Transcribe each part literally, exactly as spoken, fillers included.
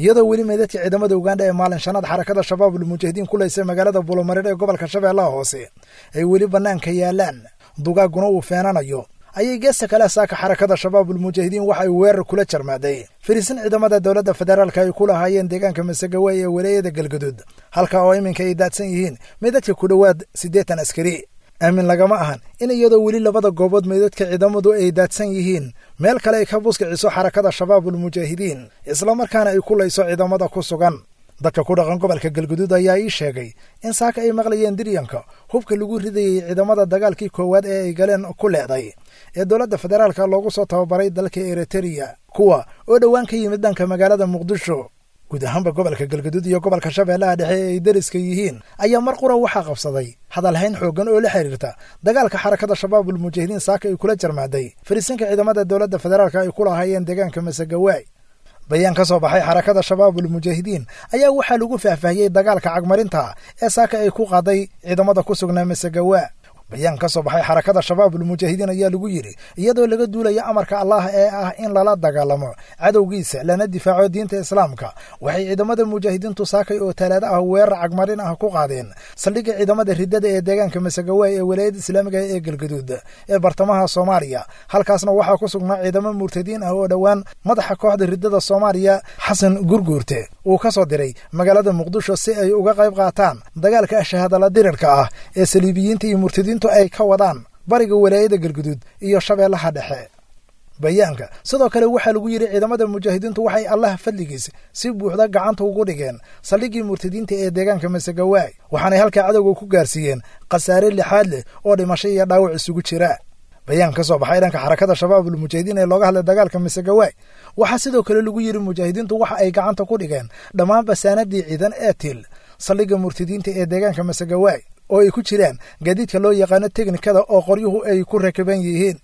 Iyadoo weli meydadka ciidamada Uganda ee maalin shanaad Xarakada Shabaabul Mujaahidiin ku laysay magaalada Bulomareer ee gobolka Shabeellaha Hoose ay weli bannaanka yaalaan, dugaaguna uu feenanayo, ayay geesta kale saaka Xarakada Shabaabul Mujaahidiin waxa ay weerar kula jarmaaday fariisin ciidamada dowladda federaalka ay ku lahaayeen deegaanka Masagawaay ee walaayada Galgaduud, halka oo iminka ay daadsan yihiin meydadka ku dhowaad siddeetan askari. Aamin lagama ahan in iyadoo weli labada goobood meydadka ciidamadu ay daadsan yihiin meel kale ay ka buskiciso Xarakada Shabaabul Mujaahidiin, islamarkaana ay ku layso ciidamada ku sugan. Dadka ku dhaqan gobolka Galguduud ayaa ii sheegay in saaka ay maqlayeen diryanka hubka lagu ridayey ciidamada dagaalkii koowaad ee ay galeen ku leeday ee dowladda federaalka loogu soo tababaray dalka Eritereya, kuwa oo dhowaan ka yimid dhanka magaalada Muqdisho. Guud ahaanba gobolka Galgaduud iyo gobolka Shabeellaha Dhexe ee ay deriska yihiin ayaa mar qura waxaa qabsaday hadalhayn xooggan oo la xiriirta dagaalka Xarakada Shabaabul Mujaahidiin saaka ay kula jarmaaday fariisinka ciidamada dowladda federaalka ay ku lahaayeen deegaanka Masagawaay. Bayaan ka soo baxay Xarakada Shabaabul Mujaahidiin ayaa waxaa lagu faahfaahiyey dagaalka cagmarinta ee saaka ay ku qaaday ciidamada ku sugnaa Masagawaa. Bayaan ka soo baxay Xarakada Shabaabul Mujaahidiin ayaa lagu yidhi: iyadoo laga duulayo amarka Allah ee ah in lala dagaalamo cadowgiisa lana difaaco diinta Islaamka, waxay ciidamada mujaahidiintu saakay oo talaado ah weerar cagmarin ah ku qaadeen saldhigga ciidamada riddada ee deegaanka Masagawaay ee walaayada islaamiga ee Galgaduud ee bartamaha Soomaaliya. Halkaasna waxaa ku sugnaa ciidamo murtadiin ah oo dhowaan madaxa kooxda riddada Soomaaliya Xasan Gurguurte uu ka soo diray magaalada Muqdisho si ay uga qayb qaataan dagaalka shahaadala dirirka ah ee saliibiyiinta iyo murtadiintu ay ka wadaan bariga walaayada Galguduud iyo Shabeellaha Dhexe. Bayaanka sidoo kale waxaa lagu yidhi: ciidamada mujaahidiintu waxay Allah fadligiis si buuxda gacanta ugu dhigeen saldhiggii murtadiinta ee deegaanka Masagawaay, waxaanay halkaa cadowga ku gaarsiiyeen khasaare lixaad leh oo dhimasho iyo dhaawac isugu jira. Bayaan ka soo baxay dhanka Xarakada Shabaabul Mujaahidiin ee looga hadlay dagaalka Masagawaay waxaa sidoo kale lagu yidhi: mujaahidiintu waxa ay gacanta ku dhigeen dhammaan basaanadii ciidan ee til saldhigga murtadiinta ee deegaanka Masagawaay, oo ay ku jiraan gaadiidka loo yaqaano teknikada oo qoryuhu ay ku rakiban yihiin.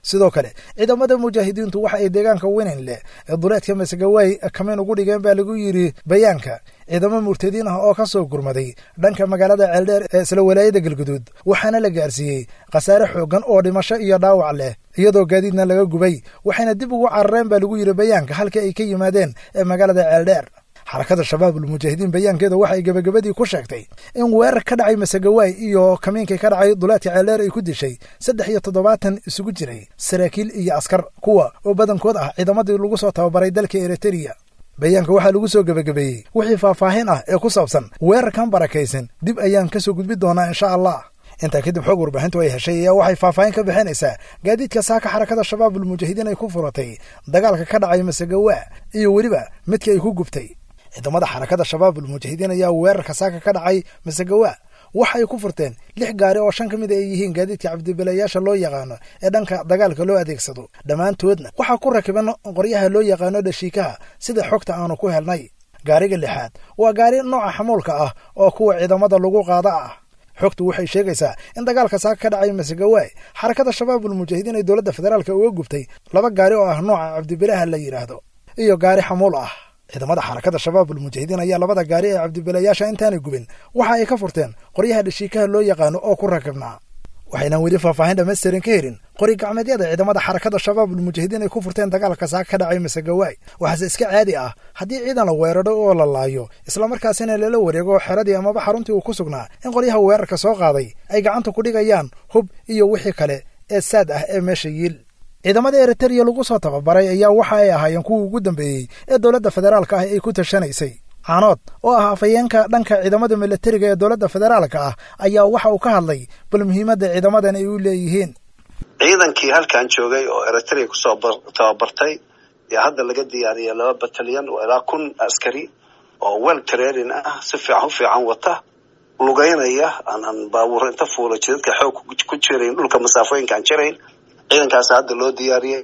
Sidoo kale ciidamada mujaahidiintu waxa ay deegaanka Winin leh ee duleedka Masagawaay kamin ugu dhigeen, baa lagu yidhi bayaanka, ciidamo murtadiin ah oo ka soo gurmaday dhanka magaalada Ceeldheer ee isla walaayada Galguduud, waxaana la gaarsiiyey khasaare xooggan oo dhimasho iyo dhaawac leh, iyadoo gaadiidna laga gubay, waxayna dib ugu carareen, baa lagu yidhi bayaanka, halkii ay ka yimaadeen ee magaalada Ceeldheer. Xarakada Shabaabul Mujaahidiin bayaankeeda waxay gebagabadii ku sheegtay in weerar ka dhacay Masagawaay iyo kamiinkii ka dhacay duleedka Ceeldheer ay ku dishay saddex iyo toddobaatan isugu jiray saraakiil iyo askar, kuwa oo badankood ah ciidamadii lagu soo tababaray dalka Eritereya. Bayaanka waxaa lagu soo gebagabeeyey: wixii faahfaahin ah ee ku saabsan weerarkan barakaysan dib ayaan kasoo gudbi doonaa, insha Allah. Intaa kadib xog warbaahintu ay heshay ayaa waxay faahfaahin ka bixinaysaa gaadiidka saaka Xarakada Shabaabul Mujaahidiin ay ku furatay dagaalka ka dhacay Masagawaa iyo weliba midka ay ku gubtay. Ciidamada Xarakada Shabaabul Mujaahidiin ayaa weerarka saaka ka dhacay Masagawaa waxay ku furteen lix gaari oo shan ka mid ay yihiin gaadiidka cabdibilayaasha loo yaqaano ee dhanka dagaalka loo adeegsado, dhammaantoodna waxaa ku rakiban qoryaha loo yaqaano dhashiikaha, sida xogta aanu ku helnay. Gaariga lixaad waa gaari nooca xamuulka ah oo kuwa ciidamada lagu qaada ah. Xogtu waxay sheegaysaa in dagaalka saaka ka dhacay Masagawaay Xarakada Shabaabul Mujaahidiin ay dowladda federaalka uga gubtay laba gaari oo ah nooca cabdibilaha la yidhaahdo iyo gaari xamuul ah. Ciidamada Xarakada Shabaabul Mujaahidiin ayaa labada gaari ee cabdibilayaasha intaanay gubin waxa ay ka furteen qoryaha dhashiikaha loo yaqaano oo ku rakibnaa. Waxaynan weli faahfaahin dhammaystiran ka helin qori gacmeedyada ciidamada Xarakada Shabaabul Mujaahidiin ay ku furteen dagaalka saaka ka dhacay Masagawaay. Waxaase iska caadi ah haddii ciidan la weeraro oo la laayo, islamarkaasina lala wareego xeradii amaba xaruntii uu ku sugnaa, in qoryaha weerarka soo qaaday ay gacanta ku dhigayaan hub iyo wixii kale ee saad ah ee meesha yiil. Ciidamada Eritereya lagu soo tababaray ayaa waxa ay ahaayeen kuwii ugu dambeeyey ee dowladda federaalka ah ay ku tashanaysay. Caanood oo ah afhayeenka dhanka ciidamada milatariga ee dowladda federaalka ah ayaa waxa uu ka hadlay bal muhiimadda ciidamadan ay u leeyihiin. Ciidankii halkan joogay oo Eritrea kusoo tababartay yaa hadda laga diyaariyay laba batalyan oo ilaa kun askari oo well training ah, si fiican u fiican wata, lugeynaya, aan aan baabuur inta fuula jidadka xoog ku jirayn, dhulka masaafooyinka aan jirayn. Ciidankaas hadda loo diyaariyey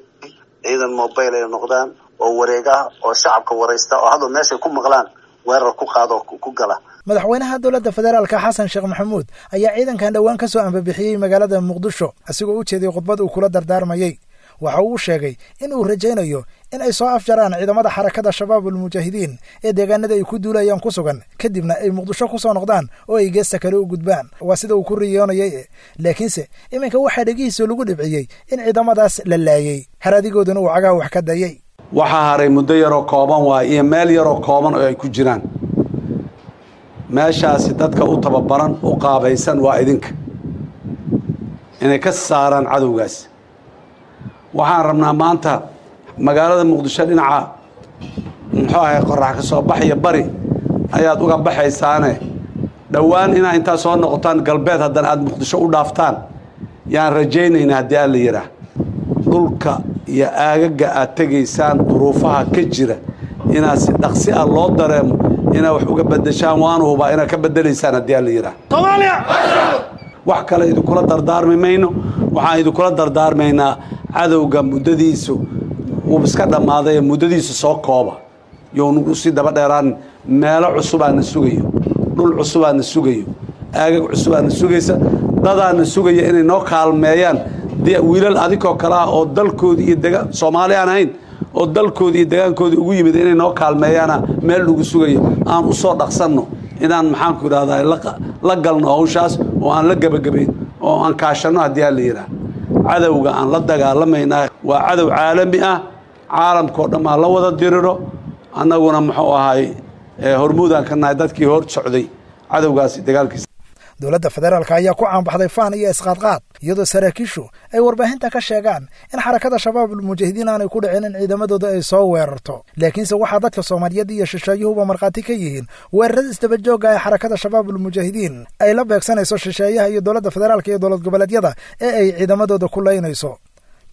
ciidan mobile ay noqdaan oo wareega oo shacabka waraysta oo hadda meeshay ku maqlaan weerar ku qaado ku gala. Madaxweynaha dowladda federaalka Xasan Sheekh Maxamuud ayaa ciidankan dhowaan ka soo ambabixiyey magaalada Muqdisho. Asigoo u jeeday khudbad uu kula dardaarmayey waxa uu sheegay in uu rajaynayo in ay soo afjaraan ciidamada Xarakada Shabaabul Mujaahidiin ee deegaanada ay ku duulayaan ku sugan, kadibna ay Muqdisho ku soo noqdaan oo ay geesta kale u gudbaan. Waa sida uu ku riyoonayay, laakiinse iminka waxaa dhegihiisa lagu dhibciyey in ciidamadaas la laayey, haraadigooduna uu cagaha wax ka dayay. Waxaa haray muddo yaroo kooban waay iyo meel yaroo kooban oo ay ku jiraan. Meeshaasi dadka u tababaran u qaabaysan waa idinka inay ka saaraan cadowgaas. Waxaan rabnaa maanta magaalada Muqdisho dhinaca muxuu ahay qorax ka soo baxaya bari ayaad uga baxaysaane, dhowaan inaa intaa soo noqotaan galbeed haddana aada Muqdisho u dhaaftaan yaan rajaynaynaa haddii aan la yidhaah. Dhulka iyo aagaga aad tegaysaan duruufaha ka jira inaad si dhaqsi ah loo dareemo inaad wax uga beddeshaan, waanu hubaa inaad ka beddelaysaan haddii aan la yidhaah. Wax kale idinkula dardaarmi mayno, waxaan idinkula dardaarmaynaa cadowga muddadiisu wuu iska dhammaaday, muddadiisu soo kooba, you sii daba dheeraan. Meelo cusubaana sugayo, dhul cusubaana sugayo, aagag cusubaana sugaysa, dadaana sugaya inay noo kaalmeeyaan, wiilal adinkoo kale ah oo dalkoodii iyo dega Soomaali aan ahayn oo dalkoodii iyo degaankoodii ugu yimid inay noo kaalmeeyaana meel lagu sugayo. Aan u soo dhaqsanno inaan maxaanku idhahdaa la galno hawshaas oo aan la gebagabayn oo aan kaashanno haddii aan la yidhaah. Cadowga aan la dagaalamaynaa waa cadow caalami ah, caalamkao dhan aa la wada diriro, annaguna muxuu ahay hormuudaan ka nahay dadkii hor socday cadowgaasi dagaalkiisa. Dowladda federaalka ayaa ku caanbaxday faan iyo isqaadqaad, iyadoo saraakiishu ay warbaahinta ka sheegaan in xarakada Shabaabul Mujaahidiin aanay ku dhicin in ciidamadooda ay soo weerarto. Laakiinse waxaa dadka Soomaaliyeed iyo shisheeyuhuba markhaati ka yihiin weerarada isdabajoogga ee xarakada Shabaabul Mujaahidiin ay la beegsanayso shisheeyaha iyo dowladda federaalka iyo dowlad goboleedyada ee ay ciidamadooda ku laynayso.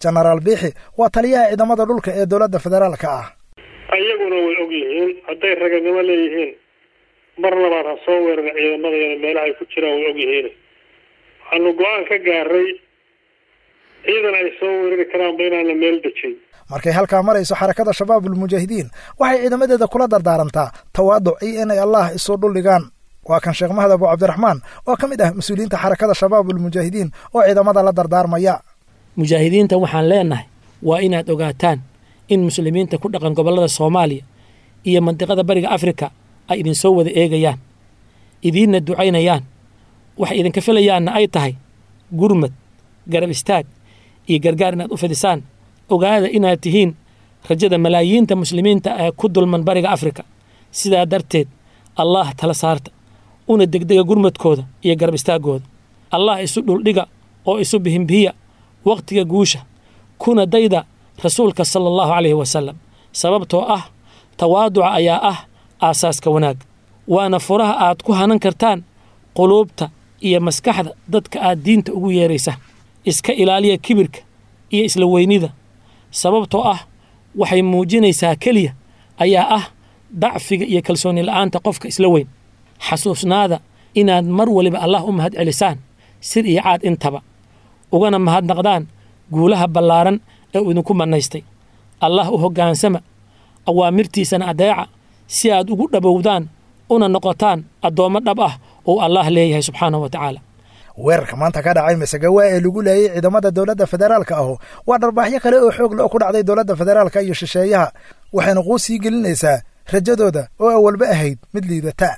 Jenaraal Biixi waa taliyaha ciidamada dhulka ee dowladda federaalka ah. Ayaguna way og yihiin hadday raganimo leeyihiin mar labaad ha soo weerara ciidamadayana meelaha ay ku jiraan way og yihiin. Waxaanu go-aan ka gaaray ciidan ay soo weerari karaanba inaan la meel dejin. Markay halkaa marayso xarakada Shabaabul Mujaahidiin waxay ciidamadeeda kula dardaarantaa tawaaduc iyo inay Allah isu dhuldhigaan. Waa kan Sheekh Mahad Abu Cabdiraxmaan oo ka mid ah mas-uuliyiinta xarakada Shabaabul Mujaahidiin oo ciidamada la dardaarmaya. Mujaahidiinta waxaan leenahay waa inaad ogaataan in muslimiinta ku dhaqan gobollada Soomaaliya iyo mandiqada Bariga Afrika ay idinsoo wada eegayaan, idiinna ducaynayaan, waxay idinka filayaanna ay tahay gurmad, garab istaag iyo gargaar inaad u fidisaan. Ogaada inaad tihiin rajada malaayiinta muslimiinta ee ku dulman Bariga Afrika. Sidaa darteed Allah tala saarta una degdega gurmadkooda iyo garab istaaggooda. Allah isu dhuldhiga oo isu bihimbihiya waqtiga guusha, kuna dayda rasuulka sala allahu calayhi wasalam, sababtoo ah tawaaduca ayaa ah aasaaska wanaag, waana furaha aad ku hanan kartaan quluubta iyo maskaxda dadka aad diinta ugu yeeraysa. Iska ilaaliya kibirka iyo isla weynida, sababtoo ah waxay muujinaysaa keliya ayaa ah dacfiga iyo kalsooni la'aanta qofka isla weyn. Xasuusnaada inaad mar waliba Allah u mahad celisaan sir iyo caad intaba, ugana mahadnaqdaan guulaha ballaaran ee uu idinku mannaystay. Allah u hoggaansama, awaamirtiisana adeeca, si aad ugu dhabowdaan una noqotaan addoommo dhab ah oo Allah leeyahay subxaanahu wa tacaala. Weerarka maanta ka dhacay Masagawa ee lagu laayay ciidamada dowladda federaalka ahu waa dharbaaxyo kale oo xoog le ku dhacday dowladda federaalka iyo shisheeyaha, waxayna quus sii gelinaysaa rajadooda oo awalba ahayd mid liidata.